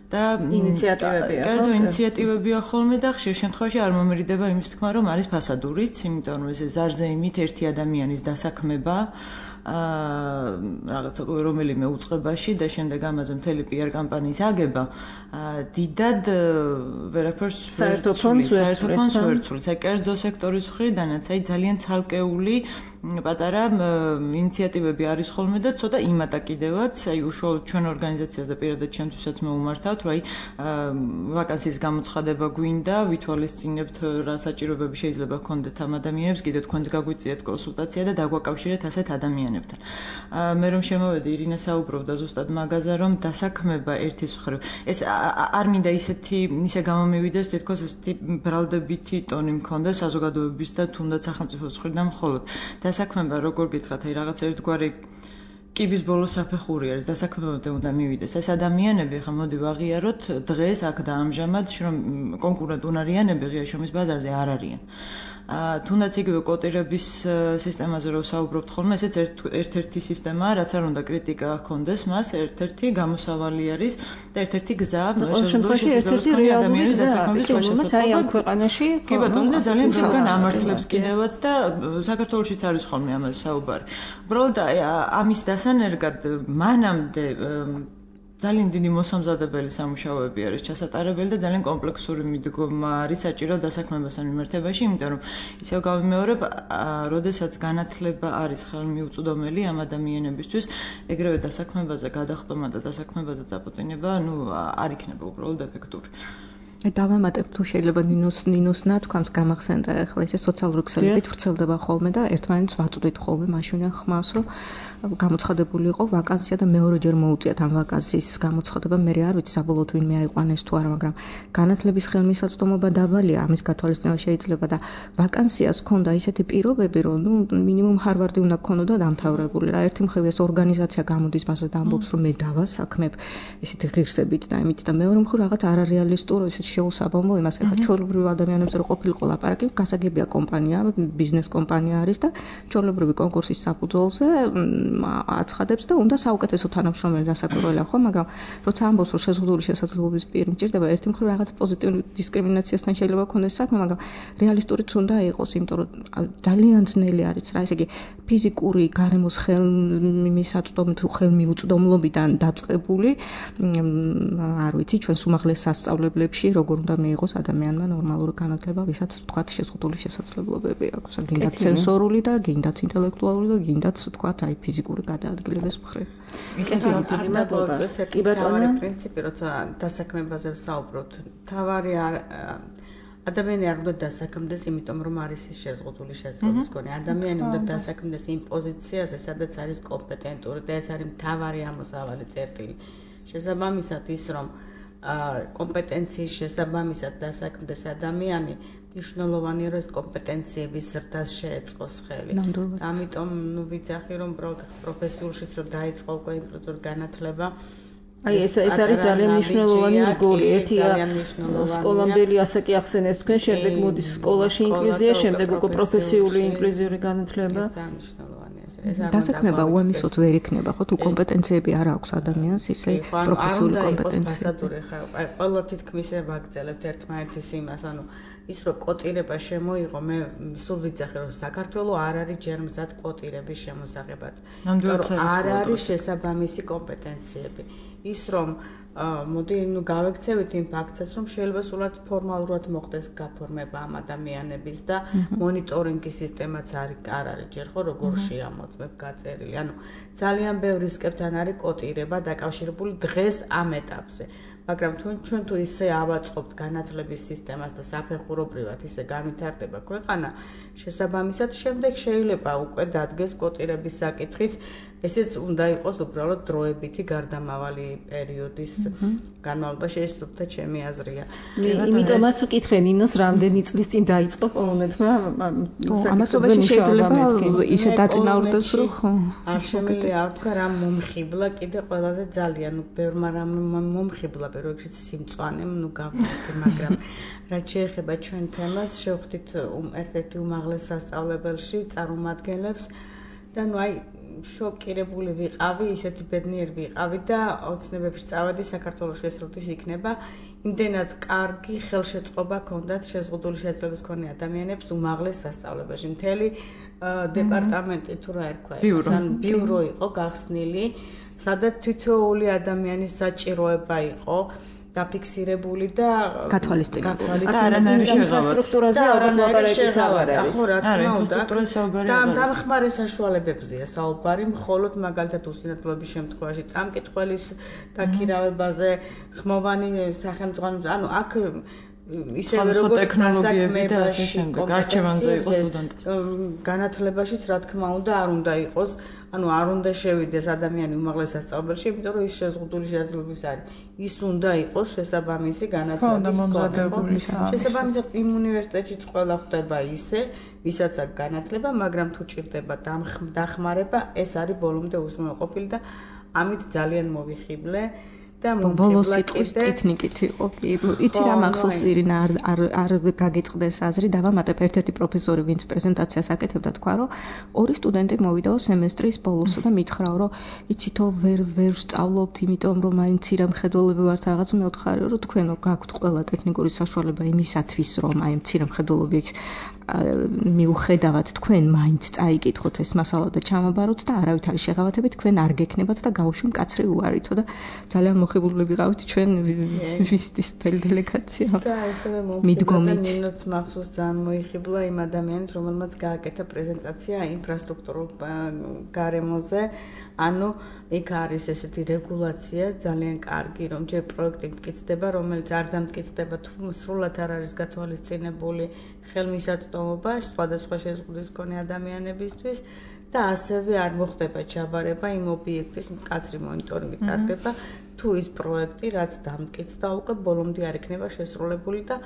და ინიციატივებია. კერძო ინიციატივებია ხოლმე და ხშირ შემთხვევაში არ მომერიდება იმის თქმა, რომ არის ფასადურიც, იმიტომ რომ ეს ზარზე იმით ერთი ადამიანის დასაქმება აა რაღაცა რომელიმე უწყებაში და შემდეგ ამაზე მთელი პი არ კამპანიის აგება დიდად ვერაფერს საერთო ფონდს ვერ ცვლის. აი კერძო სექტორის მხრიდანაც აი ძალიან ცალკეული პატარა ინიციატივები არის ხოლმე და ცოტა იმატა კიდევაც, აი უშუალოდ ჩვენ ორგანიზაციას და პირადად ჩემთვისაც მოვუმართავთ, რომ აი ვაკანსიის გამოცხადება გვინდა, ვითვალისწინებთ რა საჭიროებები შეიძლება გქონდეთ ამ ადამიანებს, კიდევ თქვენს გაგვიწიეთ კონსულტაცია და დაგვაკავშირეთ ასეთ ადამიანებთან. მე რომ შემოვედი, ირინა საუბრობდა ზუსტად მაგაზე, რომ დასაქმება ერთის მხრივ ეს არ მინდა ისეთი ისე გამომივიდეს, თითქოს ესეთი ბრალდებითი ტონი მქონდეს საზოგადოების და თუნდაც სახელმწიფოს მხრიდან მხოლოდ. დასაქმება როგორ გითხრათ, აი რაღაც ერთგვარი კიბის ბოლო საფეხური არის, დასაქმებამდე უნდა მივიდეს. ეს ადამიანები, ხა მოდი ვაღიაროთ, დღეს აქ და ამჟამად, რომ კონკურენტ უნარიანები ღია შრომის ბაზარზე არ არიან. თუნდაც იგივე კოტირების სისტემაზე რო საუბრობთ ხოლმე, ესეც ერთ-ერთი სისტემაა, რაც არ უნდა კრიტიკა ჰქონდეს მას, ერთ-ერთი გამოსავალი არის და ერთ-ერთი გზა შემთხვევაში ერთ-ერთი რეალური დასაქმების რომელმაც აი ამ ქვეყანაში კი ბატონო და ძალიან ბევრგან ამართლებს კიდევაც და საქართველოშიც არის ხოლმე ამაზე საუბარი. უბრალოდ ამის დასანერგად მანამდე ძალიან დიდი მოსამზადებელი სამუშაოები არის ჩასატარებელი და ძალიან კომპლექსური მიდგომა არის საჭირო დასაქმებასთან მიმართებაში, იმიტომ რომ ისევ გავიმეორებ, როდესაც განათლება არის ხელმიუწვდომელი ამ ადამიანებისთვის, ეგრევე დასაქმებაზე გადახტომა და დასაქმებაზე წაპოტინება, ну, არ იქნება უბრალოდ ეფექტური. დავამატებ თუ შეიძლება ნინოს ნინოსნა თქვამს გამახსენდა ახლა ესე სოციალური ქსელებით ვრცელდება ხოლმე და ერთმანეთს ვაწვდით ხოლმე მაშინ ხმას რომ გამოცხადებული იყო ვაკანსია და მეორეჯერ მოუწიათ ამ ვაკანსიის გამოცხადება მე არ ვიცი საბოლოოდ ვინმე აიყვანეს თუ არა მაგრამ განათლების ხელმისაწვდომობა დაბალია ამის გათვალისწინება შეიძლება და ვაკანსიას ჰქონდა ისეთი პირობები რომ ნუ მინიმუმ ჰარვარდი უნდა ქონოდა დამთავრებული რა ერთი მხრივ ეს ორგანიზაცია გამოდის ბაზაზე და ამბობს რომ მე დავასაქმებ ესეთი ღირსებით და იმით და მეორე მხრივ რაღაც არარეალისტური ესეთი შეუსაბამო იმას ახლა ჩვეულებრივ ადამიანებზე რო ყოფილიყო ლაპარაკი გასაგებია კომპანია ბიზნეს კომპანია არის და ჩვეულებრივი კონკურსის საფუძველზე აცხადებს და უნდა საუკეთესო თანამშრომელი დასაკვირველია ხო მაგრამ როცა ამბობს რომ შეზღუდული შესაძლებლობის პირი მჭირდება ერთი მხრივ რაღაც პოზიტიური დისკრიმინაციასთან შეიძლება ქონდეს საქმე მაგრამ რეალისტურიც უნდა იყოს იმიტომ რომ ძალიან ძნელი არის რა ესე იგი ფიზიკური გარემოს ხელმისაწვდომი თუ ხელმიუწვდომლობიდან დაწყებული არ ვიცი ჩვენს უმაღლეს სასწავლებლებში როგორ უნდა მიიღოს ადამიანმა ნორმალური განათლება ვისაც თქვათ შეზღუდული შესაძლებლობები აქვს გინდათ სენსორული და გინდათ ინტელექტუალური და გინდათ თქვათ აი ფიზიკური გადაადგილების მხრივ. კი ბატონო, პრინციპი როცა დასაქმებაზე ვსაუბრობთ, თავარი ადამიანი არ უნდა დასაქმდეს, იმიტომ რომ არის ის შეზღუდული შესაძლებლობის მქონე. ადამიანი უნდა დასაქმდეს იმ პოზიციაზე, სადაც არის კომპეტენტური და ეს არის მთავარი ამოსავალი წერტილი. შესაბამისად ის რომ კომპეტენციის შესაბამისად დასაქმდეს ადამიანი მნიშვნელოვანია რომ ეს კომპეტენციების ზრდას შეეწყოს ხელი. ამიტომ ნუ ვიცახი რომ პროფესიულშიც რომ დაიწყო უკვე ინკლუზიური განათლება აი ეს ეს არის ძალიან მნიშვნელოვანი რგოლი. ერთია სკოლამდელი ასაკი ახსენეს თქვენ, შემდეგ მოდის სკოლაში ინკლუზია, შემდეგ უკვე პროფესიული ინკლუზიური განათლება. ძალიან მნიშვნელოვანია ეს. დასაქმება უამისოდ ვერ იქნება, ხო თუ კომპეტენციები არ აქვს ადამიანს, ისე პროფესიული კომპეტენციები. აი ყველა თითქმის ვაგრძელებთ ერთმანეთის იმას, ანუ ის რომ კოტირება შემოიღო, მე სულ ვიცახე რომ საქართველოს არ არის ჯერმზად კოტირების შემოსაღებად. არ არის შესაბამისი კომპეტენციები. ის რომ მოდი ნუ გავექცევით იმ ფაქტსაც რომ შეიძლება სულად ფორმალურად მოხდეს გაფორმება ამ ადამიანების და მონიტორინგის სისტემაც არის არ არის ჯერ ხო როგორ შეამოწმებ გაწერილი. ანუ ძალიან ბევრი სკეპთან არის კოტირება დაკავშირებული დღეს ამ ეტაპზე. მაგრამ თუ ჩვენ თუ ისე ავაწყობთ განათლების სისტემას და საფეხურობრივად ისე განვითარდება ქვეყანა, შესაბამისად შემდეგ შეიძლება უკვე დადგეს კოტირების საკითხიც, ესეც უნდა იყოს უბრალოდ დროებითი გარდამავალი პერიოდის განმავლობაში, ეს თუმცა ჩემი აზრია. იმიტომაც ვკითხე ნინოს რამდენი წლის წინ დაიწყო პოლონეთმა ამასობაში შეიძლება ისე დაწინაურდეს რომ ხო არ შემიძლია არ თქვა რა მომხიბლა კიდე ყველაზე ძალიან ბევრმა რამ მომხიბლა პირველ რიგში სიმწვანე ნუ გავხდი მაგრამ რაც შეეხება ჩვენ თემას შევხვდით ერთ-ერთი უმაღლეს სასწავლებელში წარმომადგენლებს და ნუ აი შოკირებული ვიყავი, ისეთი ბედნიერი ვიყავი და ოცნებებში წავედი საქართველოში ეს როდის იქნება. იმდენად კარგი ხელშეწყობა ჰქონდათ შეზღუდული შესაძლებლობის მქონე ადამიანებს უმაღლეს სასწავლებელში. მთელი დეპარტამენტი თუ რა ერქვა, ან ბიურო იყო გახსნილი, სადაც თითოეული ადამიანის საჭიროება იყო დაფიქსირებული და გათვალისწინებული და არანაირი შეღავათ. ინფრასტრუქტურაზე ალბათ ლაპარაკიც აღარ არის. ხო, რა თქმა უნდა. და დამხმარე საშუალებებზეა საუბარი, მხოლოდ მაგალითად უსინათლოების შემთხვევაში წამკითხველის დაქირავებაზე, ხმოვანი სახელმწიფო, ანუ აქ ისევე როგორც ტექნოლოგიები და ასე შემდეგ, არჩევანზე იყოს სტუდენტი. განათლებაშიც რა თქმა უნდა არ უნდა იყოს, ანუ არ უნდა შევიდეს ადამიანი უმაღლეს სასწავლებელში, იმიტომ რომ ის შეზღუდული შესაძლებლობის არის. ის უნდა იყოს შესაბამისი განათლების მომზადებული. შესაბამისად იმ უნივერსიტეტშიც ყველა ხდება ისე, ვისაც აქვს განათლება, მაგრამ თუ ჭირდება დახმარება, ეს არის ბოლომდე უზრუნველყოფილი და ამით ძალიან მოვიხიბლე. და ბოლოს სიტყვის ტექნიკით იყო. იცი რა მახსოვს ირინა არ არ არ გაგეწყდეს აზრი დავამატებ ერთ-ერთი პროფესორი ვინც პრეზენტაციას აკეთებდა თქვა რომ ორი სტუდენტი მოვიდაო სემესტრის ბოლოსო და მითხრაო რომ იცითო ვერ ვერ სწავლობთ იმიტომ რომ აი მცირე მხედველები ვართ რაღაც მე ვთხარი რომ თქვენო გაქვთ ყველა ტექნიკური საშუალება იმისათვის რომ აი მცირე მხედველობით მიუხედავად თქვენ მაინც წაიკითხოთ ეს მასალა და ჩამაბაროთ და არავითარი შეღავათებით თქვენ არ გექნებათ და გავუშვი მკაცრი უარითო და ძალიან მოხიბლული ვიყავით ჩვენ ვიზიტის დელეგაცია და ესევე მომხიბლა ნინოც მახსოვს ძალიან მოიხიბლა იმ ადამიანს რომელმაც გააკეთა პრეზენტაცია ინფრასტრუქტურულ გარემოზე ანუ იქ არის ესეთი რეგულაცია ძალიან კარგი რომ ჯერ პროექტი მტკიცდება რომელიც არ დამტკიცდება თუ სრულად არ არის გათვალისწინებული ხელმისაწვდომობა სხვადასხვა შეზღუდვის მქონე ადამიანებისთვის და ასევე არ მოხდება ჩაბარება იმ ობიექტის მკაცრი მონიტორინგი ტარდება თუ ის პროექტი რაც დამტკიცდა უკვე ბოლომდე არ იქნება შესრულებული და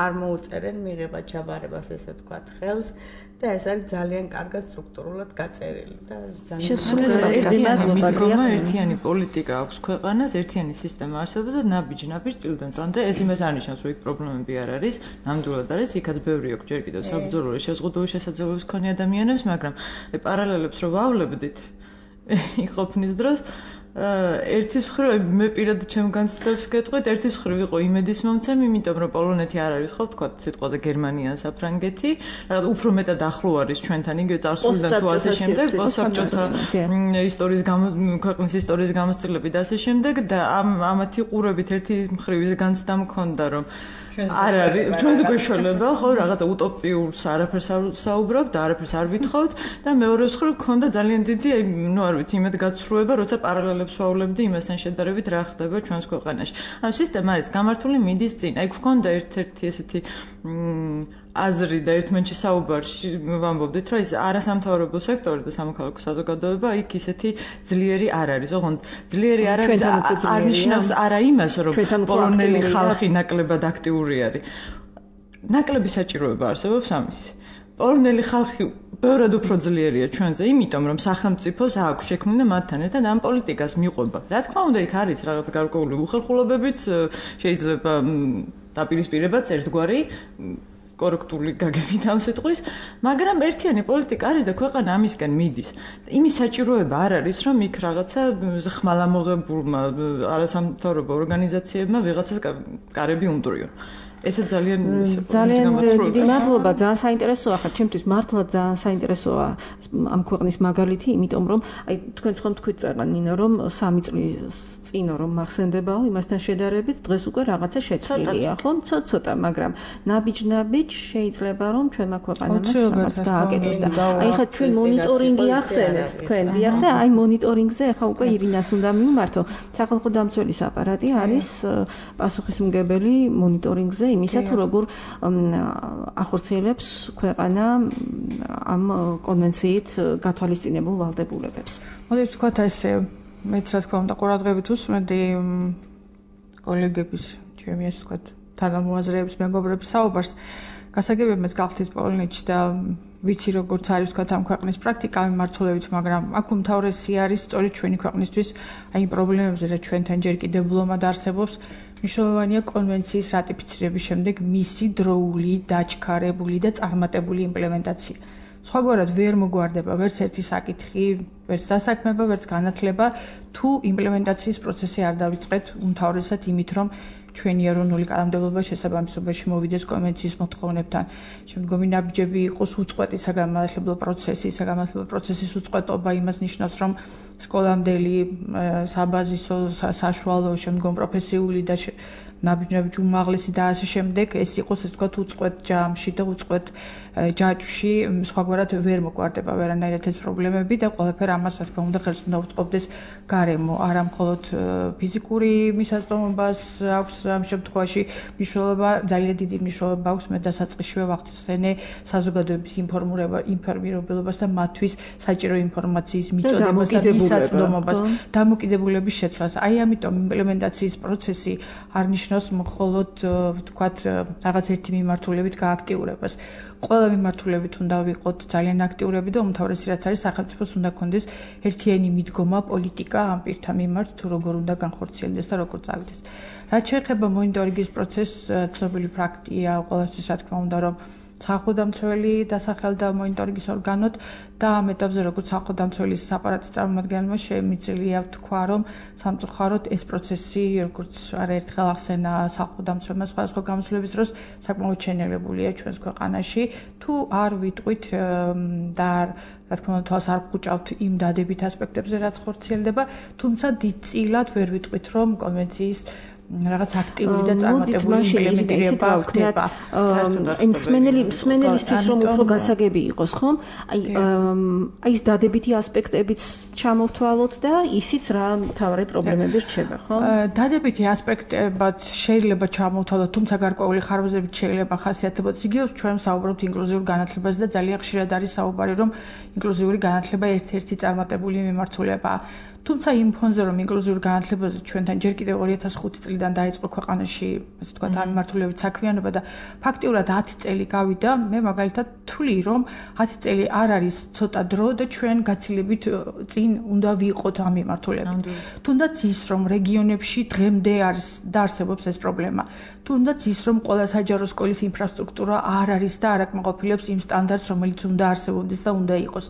არ მოუწერენ მიღება ჩაბარებას ესე ვთქვათ ხელს და ეს არის ძალიან კარგად სტრუქტურულად გაწერილი და ძალიან ერთიანი პოლიტიკა აქვს ქვეყანას, ერთიანი სისტემა არსებობს და ნაბიჯ-ნაბიჯ წილიდან წამდე ეს იმას არნიშნავს, რომ იქ პრობლემები არ არის, ნამდვილად არის, იქაც ბევრი აქვს ჯერ კიდევ საბრძოლო შეზღუდული შესაძლებლობის მქონე ადამიანებს, მაგრამ აი პარალელებს რო ვავლებდით იქ ყოფნის დროს ერთის მხრივ მე პირადად ჩემ განცდებს გეტყვით, ერთის მხრივ იყო იმედის მომცემი, იმიტომ რომ პოლონეთი არ არის ხო თქვა სიტყვაზე გერმანია ან საფრანგეთი, რაღაც უფრო მეტად ახლო არის ჩვენთან, იგივე წარსულიდან თუ ასე შემდეგ, პოსტსაბჭოთა ისტორიის ქვეყნის ისტორიის გამოცდილებით და ასე შემდეგ და ამ ამათი ყურებით ერთი მხრივ ის განცდა მქონდა, რომ არ არის ჩვენს გვეშველება ხო რაღაცა უტოპიურს არაფერს არ საუბრობთ და არაფერს არ ვითხოვთ და მეორე მხრივ მქონდა ძალიან დიდი ნუ არ ვიცი იმედგაცრუება როცა პარალელებს ვავლებდი იმასთან შედარებით რა ხდება ჩვენს ქვეყანაში. ანუ სისტემა არის გამართული მიდის წინ. აი გქონდა ერთ-ერთი ესეთი აზრი და ერთმანეთში საუბარში ვამბობდით რომ ის არასამთავრობო სექტორი და სამოქალაქო საზოგადოება იქ ისეთი ძლიერი არ არის. ოღონდ ძლიერი არ არის არ ნიშნავს არა იმას რომ პოლონელი ხალხი ნაკლებად აქტიური არის. ნაკლები საჭიროება არსებობს ამისი. პოლონელი ხალხი ბევრად უფრო ძლიერია ჩვენზე, იმიტომ რომ სახელმწიფოს აქვს შექმნილი მათთან ერთად ამ პოლიტიკას მიყვება. რა თქმა უნდა, იქ არის რაღაც გარკვეული უხერხულობებიც, შეიძლება დაპირისპირებაც ერთგვარი კორექტული გაგებით ამ სიტყვის, მაგრამ ერთიანი პოლიტიკა არის და ქვეყანა ამისკენ მიდის. იმის საჭიროება არ არის, რომ იქ რაღაცა ხმალამოღებულმა არასამთავრობო ორგანიზაციებმა ვიღაცას კარები უმტვრიონ. ესე ძალიან ძალიან დიდი მადლობა, ძალიან საინტერესოა ხარ, ჩემთვის მართლა ძალიან საინტერესოა ამ ქვეყნის მაგალითი, იმიტომ რომ აი თქვენ ხომ თქვით წეგანინო რომ სამი წლის წინო რომ მახსენდებაო იმასთან შედარებით დღეს უკვე რაღაცა შეცვლილია, ხო? ცოტა-ცოტა, მაგრამ ნაბიჯ-ნაბიჯ შეიძლება რომ ჩვენმა ქვეყანამ რაღაც გააკეთოს და აი ხა ჩვენ მონიტორინგი ახსენეთ თქვენ, დიახ და აი მონიტორინგზე ხა უკვე ირინას უნდა მივმართო. სახალხო დამცველის აპარატი არის პასუხისმგებელი მონიტორინგზე იმისა თუ როგორ ახორციელებს ქვეყანა ამ კონვენციით გათვალისწინებულ ვალდებულებებს. მოდით ვთქვათ ესე მეც რა თქმა უნდა ყურადღებით უსმენდი კოლეგების ჩემი ასე ვთქვათ თანამოაზრეების მეგობრების საუბარს გასაგებია მეც გახდით პოლონეთში და ვიცი როგორც არის ვთქვათ ამ ქვეყნის პრაქტიკა მიმართულებით, მაგრამ აქ უმთავრესი არის სწორედ ჩვენი ქვეყნისთვის აი იმ პრობლემებზე რაც ჩვენთან ჯერ კიდევ ბლომად არსებობს. მნიშვნელოვანია კონვენციის რატიფიცირების შემდეგ მისი დროული, დაჩქარებული და წარმატებული იმპლემენტაცია. სხვაგვარად ვერ მოგვარდება ვერც ერთი საკითხი, ვერც დასაქმება, ვერც განათლება, თუ იმპლემენტაციის პროცესი არ დავიწყეთ უმთავრესად იმით, რომ ჩვენი ეროვნული კანონმდებლობა შესაბამისობაში მოვიდეს კონვენციის მოთხოვნებთან. შემდგომი ნაბიჯები იყოს უწყვეტი საგანმანათლებლო პროცესი, საგანმანათლებლო პროცესის უწყვეტობა იმას ნიშნავს, რომ სკოლამდელი, საბაზისო, საშუალო, შემდგომ პროფესიული და ნაბიჯ-ნაბიჯ უმაღლესი და ასე შემდეგ ეს იყოს ასე ვთქვათ უწყვეტ ჯამში და უწყვეტ ჯაჭვში სხვაგვარად ვერ მოგვარდება ვერანაირად ეს პრობლემები და ყველაფერ ამას რა თქმა უნდა ხელს უნდა უწყობდეს გარემო არა მხოლოდ ფიზიკური მისაწვდომობას აქვს ამ შემთხვევაში მნიშვნელობა ძალიან დიდი მნიშვნელობა აქვს მე დასაწყისშივე ვახსენე საზოგადოების ინფორმირება ინფორმირებელობას და მათთვის საჭირო ინფორმაციის მიწოდებას და მისაწვდომობას დამოკიდებულების შეცვლას. აი ამიტომ იმპლემენტაციის პროცესი არ ნიშნავს მხოლოდ ვთქვათ რაღაც ერთი მიმართულებით გააქტიურებას. ყველა მიმართულებით უნდა ვიყოთ ძალიან აქტიურები და უმთავრესი რაც არის სახელმწიფოს უნდა გქონდეს ერთიანი მიდგომა პოლიტიკა ამ პირთა მიმართ თუ როგორ უნდა განხორციელდეს და როგორ წავიდეს. რაც შეეხება მონიტორინგის პროცესს, ცნობილი ფაქტია ყველასთვის რა თქმა უნდა რომ სახელმწიფო დასახელდა მონიტორინგის ორგანოდ და ამ ეტაპზე როგორც სახელმწიფოს აპარატის წარმომადგენელმა შემიძლია თქვა რომ სამწუხაროდ ეს პროცესი როგორც არაერთხელ ახსენა სახელმწიფომა სხვადასხვა გამოსვლების დროს საკმაოდ შენელებულია ჩვენს ქვეყანაში თუ არ ვიტყვით და რა თქმა უნდა თვალს არ ვხუჭავთ იმ დადებით ასპექტებზე რაც ხორციელდება თუმცა დიდწილად ვერ ვიტყვით რომ კონვენციის რაღაც აქტიური და წარმატებული იმპლემენტირება ხდება. აი მსმენელი მსმენელისთვის რომ უფრო გასაგები იყოს, ხომ? აი აი ეს დადებითი ასპექტებიც ჩამოვთვალოთ და ისიც რა მთავარი პრობლემები რჩება, ხო? დადებითი ასპექტებად შეიძლება ჩამოვთვალოთ, თუმცა გარკვეული ხარვეზებით შეიძლება ხასიათებოდეს. იგივე ჩვენ საუბრობთ ინკლუზიურ განათლებაზე და ძალიან ხშირად არის საუბარი რომ ინკლუზიური განათლება ერთ-ერთი წარმატებული მიმართულებაა. თუმცა იმ ფონზე რომ ინკლუზიურ განათლებაზე ჩვენთან ჯერ კიდევ ორი ათას ხუთი წლიდან დაიწყო ქვეყანაში, ასე ვთქვათ, ამ მიმართულებით საქმიანობა და ფაქტიურად ათი წელი გავიდა, მე მაგალითად თვლი რომ ათი წელი არ არის ცოტა დრო და ჩვენ გაცილებით წინ უნდა ვიყოთ ამ მიმართულებით. თუნდაც ის რომ რეგიონებში დღემდე არის და არსებობს ეს პრობლემა. თუნდაც ის რომ ყველა საჯარო სკოლის ინფრასტრუქტურა არ არის და არ აკმაყოფილებს იმ სტანდარტს, რომელიც უნდა არსებობდეს და უნდა იყოს.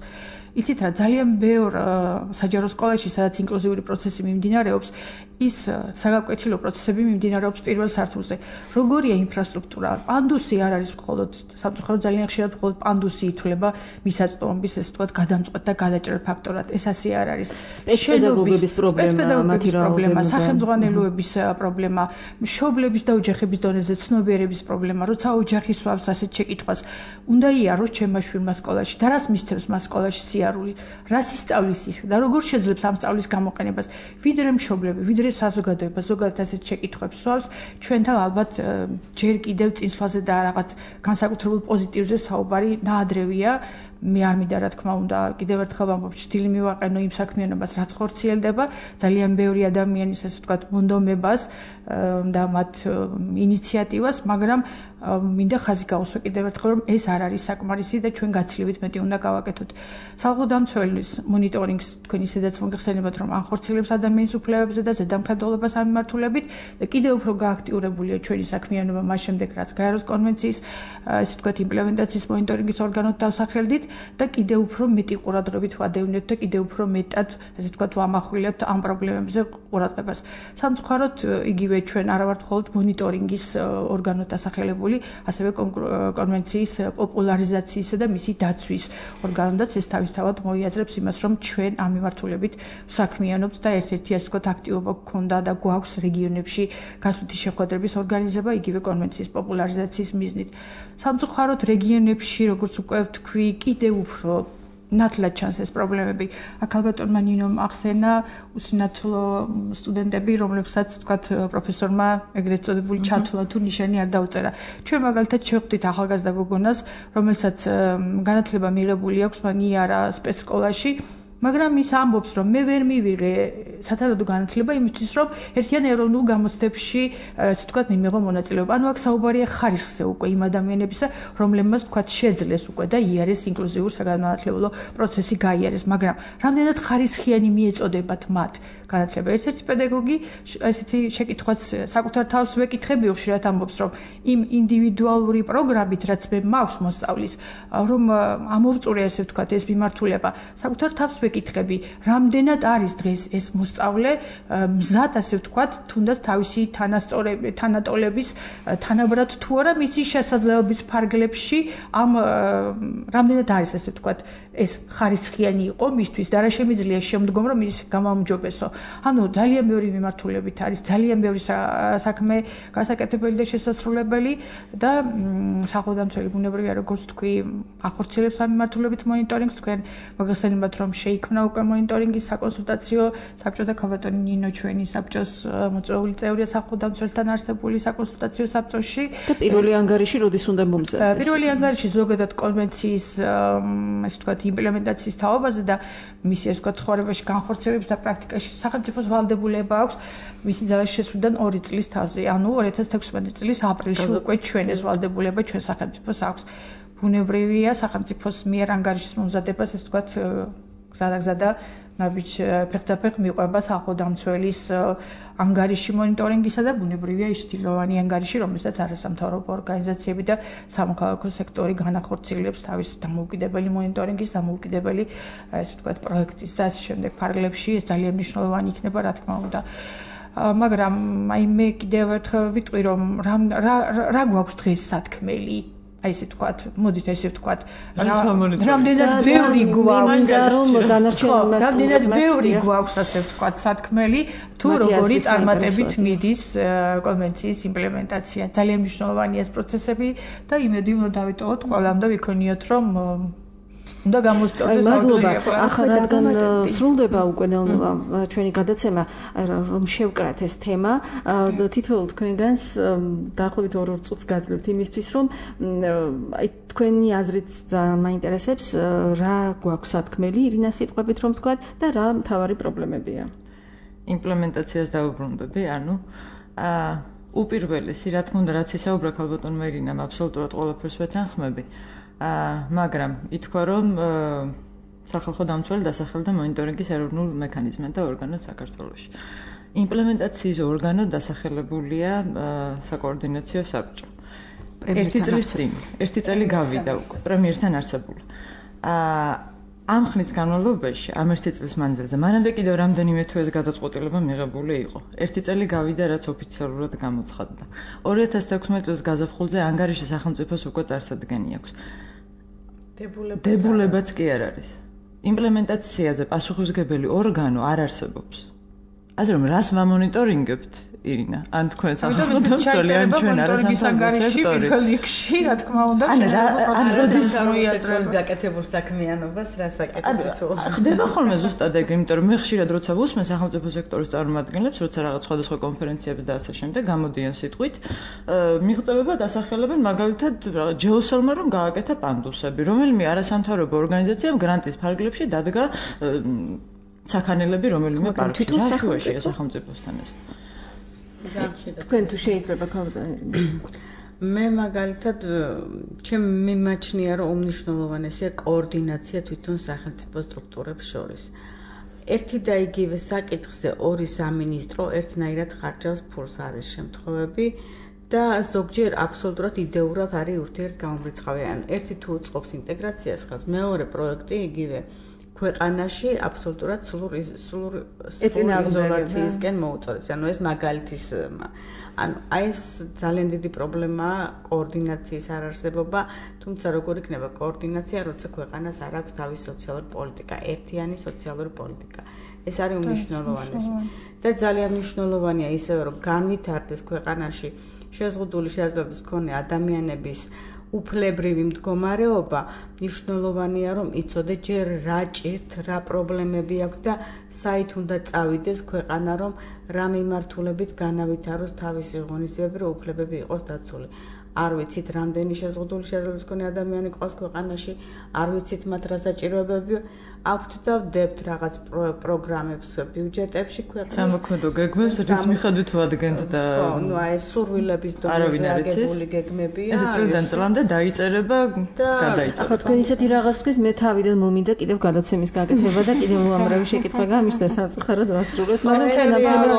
იცით რა, ძალიან ბევრ საჯარო სკოლაში, სადაც ინკლუზიური პროცესი მიმდინარეობს, ის საგაკვეთილო პროცესები მიმდინარეობს პირველ სართულზე. როგორია ინფრასტრუქტურა? პანდუსი არ არის მხოლოდ, სამწუხაროდ ძალიან ხშირად მხოლოდ პანდუსი ითვლება მისაწვდომობის, ესე ვთქვათ, გადამწყვეტ და გადაჭრელ ფაქტორად. ეს ასე არ არის. სპეცპედაგოგების პრობლემა, მათი პრობლემა, სახელმძღვანელოების პრობლემა, მშობლების და ოჯახების დონეზე ცნობიერების პრობლემა, როცა ოჯახი სვავს ასეთ შეკითხვას, უნდა იაროს ჩემმა შვილმა სკოლაში და რას მისცემს მას სკოლაში სიარული, რას ისწავლის ის და როგორ შეძლებს ამ სწავლის გამოყენებას, ვიდრე მშობლები, ვიდრე საზოგადოება ზოგადად ასეთ შეკითხვებს სვავს, ჩვენთან ალბათ ჯერ კიდევ წინსვლაზე და რაღაც განსაკუთრებულ პოზიტივზე საუბარი ნაადრევია. მე არ მინდა რა თქმა უნდა კიდევ ერთხელ ვამბობ, ჭრილი მივაყენო იმ საქმიანობას, რაც ხორციელდება, ძალიან ბევრი ადამიანის ასე ვთქვათ მონდომებას და მათ ინიციატივას, მაგრამ მინდა ხაზი გაუსვა კიდევ ერთხელ რომ ეს არ არის საკმარისი და ჩვენ გაცილებით მეტი უნდა გავაკეთოთ. სახელმწიფოს მონიტორინგს თქვენ ისედაც მოგეხსენებათ რომ ახორციელებს ადამიანის უფლებებზე და ზედამხედველობას ამ მიმართულებით და კიდევ უფრო გააქტიურებულია ჩვენი საქმიანობა მას შემდეგ რაც გაეროს კონვენციის ესე ვთქვათ იმპლემენტაციის მონიტორინგის ორგანოდ დავსახელდით და კიდევ უფრო მეტი ყურადღებით ვადევნებთ და კიდევ უფრო მეტად ესე ვთქვათ ვამახვილებთ ამ პრობლემებზე ყურადღებას. სამწუხაროდ იგივე ჩვენ არ ვართ მხოლოდ მონიტორინგის ორგანოდ დასახელებული, ასევე კონვენციის პოპულარიზაციისა და მისი დაცვის ორგანოდაც ეს თავისთავად მოიაზრებს იმას, რომ ჩვენ ამ მიმართულებით საქმიანობთ და ერთ-ერთი ასე ვთქვათ აქტივობა გქონდა და გვაქვს რეგიონებში გასვლითი შეხვედრების ორგანიზება იგივე კონვენციის პოპულარიზაციის მიზნით. სამწუხაროდ რეგიონებში, როგორც უკვე ვთქვი, კიდევ უფრო ნათლად ჩანს ეს პრობლემები. აქ ალბათონმა ნინომ ახსენა უსინათლო სტუდენტები, რომლებსაც თქვათ პროფესორმა ეგრეთ წოდებული ჩათვლა თუ ნიშანი არ დაუწერა. ჩვენ მაგალითად შევხვდით ახალგაზრდა გოგონას, რომელსაც განათლება მიღებული აქვს მანიარა სპეცსკოლაში, მაგრამ ის ამბობს, რომ მე ვერ მივიღე სათანადო განათლება იმისთვის, რომ ერთიან ეროვნულ გამოცდებში, ასე ვთქვათ, მიმეღო მონაწილეობა. ანუ აქ საუბარია ხარისხზე უკვე იმ ადამიანებისა, რომლებმაც ვთქვათ შეძლეს უკვე და იარეს ინკლუზიურ საგანმანათლებლო პროცესი გაიარეს, მაგრამ რამდენად ხარისხიანი მიეწოდებათ მათ განათლება. ერთ-ერთი პედაგოგი ესეთი შეკითხვაც საკუთარ თავს ვეკითხებიო, ხშირად ამბობს, რომ იმ ინდივიდუალური პროგრამით, რაც მე მაქვს მოსწავლის, რომ ამოვწურე ასე ვთქვათ ეს მიმართულება, საკუთარ თავს ვეკითხები, რამდენად არის დღეს ეს მოსწავლე მზად ასე ვთქვათ, თუნდაც თავისი თანასწორები, თანატოლების თანაბრად თუ არა მისი შესაძლებლობის ფარგლებში ამ რამდენად არის ასე ვთქვათ, ეს ხარისხიანი იყო მისთვის და რა შემიძლია შემდგომ რომ ის გამაუმჯობესო. ანუ ძალიან ბევრი მიმართულებით არის, ძალიან ბევრი საქმე გასაკეთებელი და შესაძლებელი და სახელმწიფო ბუნებრივია როგორც თქვი, ახორციელებს ამ მიმართულებით მონიტორინგს, თქვენ მოგხსენებათ რომ შეიძლება შეიქმნა უკვე მონიტორინგის საკონსულტაციო საბჭო და ქალბატონი ნინო ჩვენი საბჭოს მოწვეული წევრია სახელმწიფოსთან არსებული საკონსულტაციო საბჭოში და პირველი ანგარიში როდის უნდა მომზადდეს? პირველი ანგარიში ზოგადად კონვენციის ესე ვთქვათ იმპლემენტაციის თაობაზე და მისი ესე ვთქვათ ცხოვრებაში განხორციელების და პრაქტიკაში სახელმწიფოს ვალდებულება აქვს მისი ძალის შესვლიდან ორი წლის თავზე, ანუ ორი ათას თექვსმეტი წლის აპრილში უკვე ჩვენ ეს ვალდებულება ჩვენ სახელმწიფოს აქვს. ბუნებრივია სახელმწიფოს მიერ ანგარიშის მომზადებას ესე ვთქვათ გზადაგზადა ნაბიჯ ფეხდაფეხ მიყვება სახელმწიფოს ანგარიში მონიტორინგისა და ბუნებრივია ის ცდილოვანი ანგარიში, რომელსაც არასამთავრობო ორგანიზაციები და სამოქალაქო სექტორი განახორციელებს თავის დამოუკიდებელი მონიტორინგის, დამოუკიდებელი ესე ვთქვათ პროექტის და ასე შემდეგ ფარგლებში. ეს ძალიან მნიშვნელოვანი იქნება, რა თქმა უნდა. მაგრამ აი მე კიდევ ერთხელ ვიტყვი, რომ რა რა გვაქვს დღეს სათქმელი აი ესე ვთქვათ, მოდით ესე ვთქვათ, რამდენად ბევრი გვაქვს რომ დანარჩენ მას რამდენად ბევრი გვაქვს ასე ვთქვათ სათქმელი თუ როგორი წარმატებით მიდის კონვენციის იმპლემენტაცია. ძალიან მნიშვნელოვანია ეს პროცესები და იმედი უნდა დავიტოვოთ ყველამ და ვიქონიოთ რომ უნდა გამოსწორდეს მადლობა. ახლა რადგან სრულდება უკვე ნელ-ნელა ჩვენი გადაცემა, რომ შევკრათ ეს თემა, თითოეულ თქვენგანს დაახლოებით ორ-ორ წუთს გაძლევთ იმისთვის, რომ აი თქვენი აზრით ძალიან მაინტერესებს, რა გვაქვს სათქმელი ირინას სიტყვებით რომ ვთქვათ და რა მთავარი პრობლემებია. იმპლემენტაციას დავუბრუნდები, ანუ აა უპირველესი, რა თქმა უნდა, რაც ისაუბრა ქალბატონმა ირინამ, აბსოლუტურად ყველაფერს ვეთანხმები. აა მაგრამ ითქვა რომ სახალხო დამცველი დასახელდა მონიტორინგის ეროვნულ მექანიზმად და ორგანოდ საქართველოში. იმპლემენტაციის ორგანოდ დასახელებულია საკოორდინაციო საბჭო. ერთი წლის წინ, ერთი წელი გავიდა უკვე პრემიერთან არსებული. აა ამ ხნის განმავლობაში, ამ ერთი წლის მანძილზე, მანამდე კიდევ რამდენიმე თუ ეს გადაწყვეტილება მიღებული იყო. ერთი წელი გავიდა, რაც ოფიციალურად გამოცხადდა. ორი ათას თექვსმეტი წლის გაზაფხულზე ანგარიში სახელმწიფოს უკვე წარსადგენი აქვს. დებულებაც კი არ არის. იმპლემენტაციაზე პასუხისმგებელი ორგანო არ არსებობს. ასე რომ რას ვამონიტორინგებთ, ირინა? ან თქვენ სახელმწიფო დამცველი ან ჩვენ არასამთავრობო სექტორი? პირველ რიგში, რა თქმა უნდა, პროცესს გაკეთებულ საქმიანობას რას აკეთებთ? ხდება ხოლმე ზუსტად ეგ, იმიტომ რომ მე ხშირად როცა ვუსმენ სახელმწიფო სექტორის წარმომადგენლებს, როცა რაღაც სხვადასხვა კონფერენციებზე და ასე შემდეგ გამოდიან სიტყვით, მიღწევება დასახელებენ მაგალითად ჯეოსელმა რომ გააკეთა პანდუსები, რომელიმე არასამთავრობო ორგანიზაციამ გრანტის ფარგლებში დადგა საქანელები რომელიმე პარკში, რა შუაშია სახელმწიფოსთან ეს. თქვენ თუ შეიძლება ქალბატონი. მე მაგალითად ჩემი მიმაჩნია რომ უმნიშვნელოვანესია კოორდინაცია თვითონ სახელმწიფო სტრუქტურებს შორის. ერთი და იგივე საკითხზე ორი სამინისტრო ერთნაირად ხარჯავს ფულს არის შემთხვევები და ზოგჯერ აბსოლუტურად იდეურად არის ურთიერთგამომრიცხავი. ანუ ერთი თუ უწყობს ინტეგრაციას ხას, მეორე პროექტი იგივე ქვეყანაში აბსოლუტურად სრულ სრულ იზოლაციისკენ მოუწოდებს. ანუ ეს მაგალითის ანუ აი ეს ძალიან დიდი პრობლემაა კოორდინაციის არარსებობა, თუმცა როგორ იქნება კოორდინაცია, როცა ქვეყანას არ აქვს თავის სოციალური პოლიტიკა, ერთიანი სოციალური პოლიტიკა. ეს არის უმნიშვნელოვანესი. და ძალიან მნიშვნელოვანია ისევე რომ განვითარდეს ქვეყანაში შეზღუდული შესაძლებლობის მქონე ადამიანების უფლებრივი მდგომარეობა, მნიშვნელოვანია რომ იცოდე ჯერ რა ჭირთ, რა პრობლემები აქვს და საით უნდა წავიდეს ქვეყანა რომ რა მიმართულებით განავითაროს თავისი ღონისძიებები, რომ უფლებები იყოს დაცული. არ ვიცით რამდენი შეზღუდული შესაძლებლობის მქონე ადამიანი ყავს ქვეყანაში, არ ვიცით მათ რა საჭიროებები აქვთ და ვდებთ რაღაც პროგრამებს ბიუჯეტებში ქვეყნის სამოქმედო გეგმებს რის მიხედვით ვადგენთ და ნუ აი სურვილების დონეზე აგებული გეგმებია. ეს წლიდან წლამდე დაიწერება და გადაიწერება. ახლა თქვენ ისეთი რაღაც თქვით, მე თავიდან მომინდა კიდევ გადაცემის გაკეთება და კიდევ უამრავი შეკითხვა გამიშდა სამწუხაროდ ვასრულოთ, მაგრამ ჩვენ ამ თემას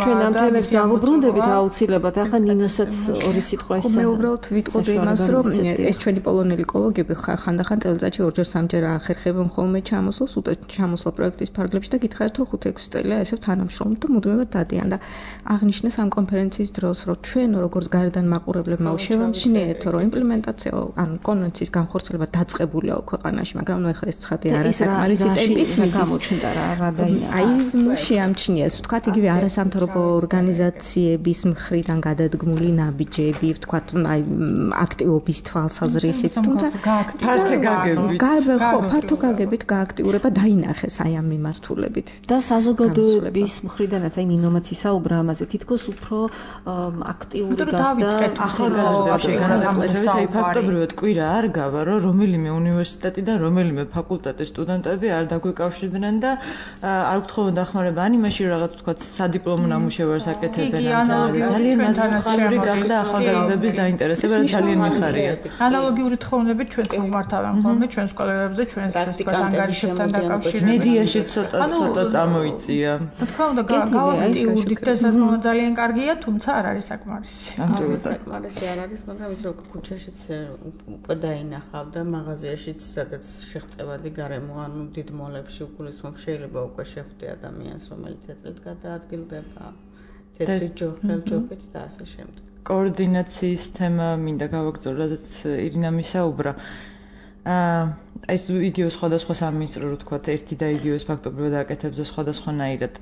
ჩვენ ამ თემებს დავუბრუნდებით აუცილებლად. ახლა ნინოსაც ორი სიტყვა ისე. მე უბრალოდ ვიტყოდი იმას, რომ ეს ჩვენი პოლონელი ეკოლოგები ხანდახან წელიწადში ორჯერ სამჯერ ახერხებენ ხოლმე ჩამოსვლას, უტო ჩამოსვლა პროექტის ფარგლებში და გითხარით, რომ ხუთ ექვსი წელია ესე თანამშრომლობთ და მუდმივად დადიან და აღნიშნეს ამ კონფერენციის დროს, რომ ჩვენ როგორც გარედან მაყურებლებმა შევამჩნიეთ, რომ იმპლემენტაცია ან კონვენციის განხორციელება დაწყებულია ქვეყანაში, მაგრამ ნუ ახლა ეს ცხადი არასაკმარისი ტემპით გამოჩნდა რა რა დაინახა. აი შეამჩნიეს, ვთქვათ, იგივე არასამთავრობო ორგანიზაციების მხრიდან გადადგმული ნაბიჯები, ვთქვათ, აი აქტივობის თვალსაზრისით, თუმცა ფართო გაგებით, ხო, ფართო გაგებით გააქტიურება დაინახეს აი ამ მიმართულებით. და საზოგადოების მხრიდანაც აი ინოვაციის საუბრა ამაზე თითქოს უფრო აქტიური გახდა ახალგაზრდები აი ფაქტობრივად კვირა არ გავა რომ რომელიმე უნივერსიტეტი და რომელიმე ფაკულტეტის სტუდენტები არ დაგვეკავშირდნენ და არ გთხოვენ დახმარება ან იმაში რაღაც თქვა სადიპლომო ნამუშევარს აკეთებენ ძალიან მასშტაბური გახდა ახალგაზრდების დაინტერესება და ძალიან მიხარია ანალოგიური თხოვნებით ჩვენ მომართავენ ხოლმე ჩვენს კოლეგებზე ჩვენს ანგარიშებთან დაკავშირებით მედიაში ცოტა ცოტა წამოიწია თქო უნდა გავაქტიურდით და საერთოდ ძალიან კარგია თუმცა არ არის საკმარისი ამჯერად საკმარისი არ არის მაგრამ ის რო ქუჩაშიც უკვე დაინახავდა მაღაზიაშიც სადაც შეღწევადი გარემო ანუ დიდ მოლებში უგულისხმობ შეიძლება უკვე შეხვდე ადამიანს რომელიც ეთლეთ გადაადგილდება თეთრი ჯოხელჯოხით და ასე შემდეგ კოორდინაციის თემა მინდა გავაგრძელო რადგან ირინა მისაუბრა აა ეს იგივე სხვადასხვა სამინისტრო რო თქვა ერთი და იგივეს ფაქტობრივად აკეთებს და სხვადასხვანაირად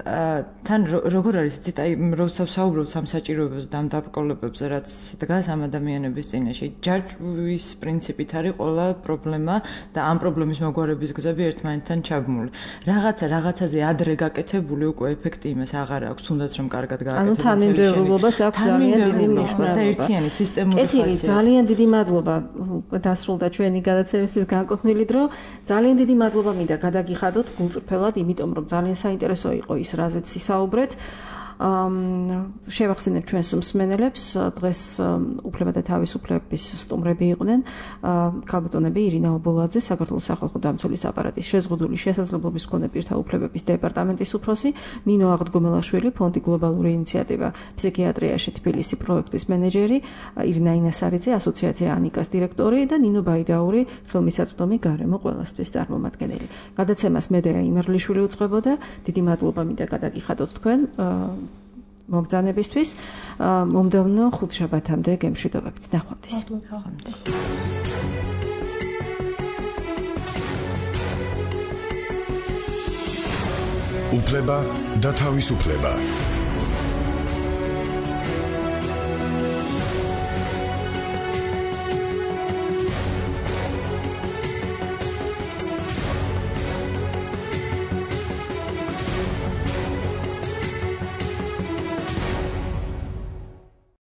თან როგორ არის იცით აი როცა ვსაუბრობთ ამ საჭიროებებზე და ამ დაბრკოლებებზე რაც დგას ამ ადამიანების წინაშე ჯაჭვის პრინციპით არის ყველა პრობლემა და ამ პრობლემის მოგვარების გზები ერთმანეთთან ჩაბმული რაღაცა რაღაცაზე ადრე გაკეთებული უკვე ეფექტი იმას აღარ აქვს თუნდაც რომ კარგად გააკეთებულ ანუ თანმიმდევრულობას აქვს ძალიან დიდი მნიშვნელობა და ერთიანი სისტემური ხასიათი ძალიან დიდი მადლობა დასრულდა ჩვენი გადაცემისთვის განკუთვნილი დრო ძალიან დიდი მადლობა მინდა გადაგიხადოთ გულწრფელად იმიტომ რომ ძალიან საინტერესო იყო ის რაზეც ისაუბრეთ შევახსენებ ჩვენს მსმენელებს დღეს უფლება და თავისუფლების სტუმრები იყვნენ ქალბატონები ირინა ობოლაძე საქართველოს სახალხო დამცველის აპარატის შეზღუდული შესაძლებლობის მქონე პირთა უფლებების დეპარტამენტის უფროსი ნინო აღდგომელაშვილი ფონდი გლობალური ინიციატივა ფსიქიატრიაში თბილისი პროექტის მენეჯერი ირინა ინასარიძე ასოციაცია ანიკას დირექტორი და ნინო ბაიდაური ხელმისაწვდომი გარემო ყველასთვის წარმომადგენელი გადაცემას მედეა იმერლიშვილი უწყებოდა დიდი მადლობა მინდა გადაგიხადოთ თქვენ მომბრძანებისთვის მომდევნო ხუთშაბათამდე გემშვიდობებით ნახვამდის უფლება და თავისუფლება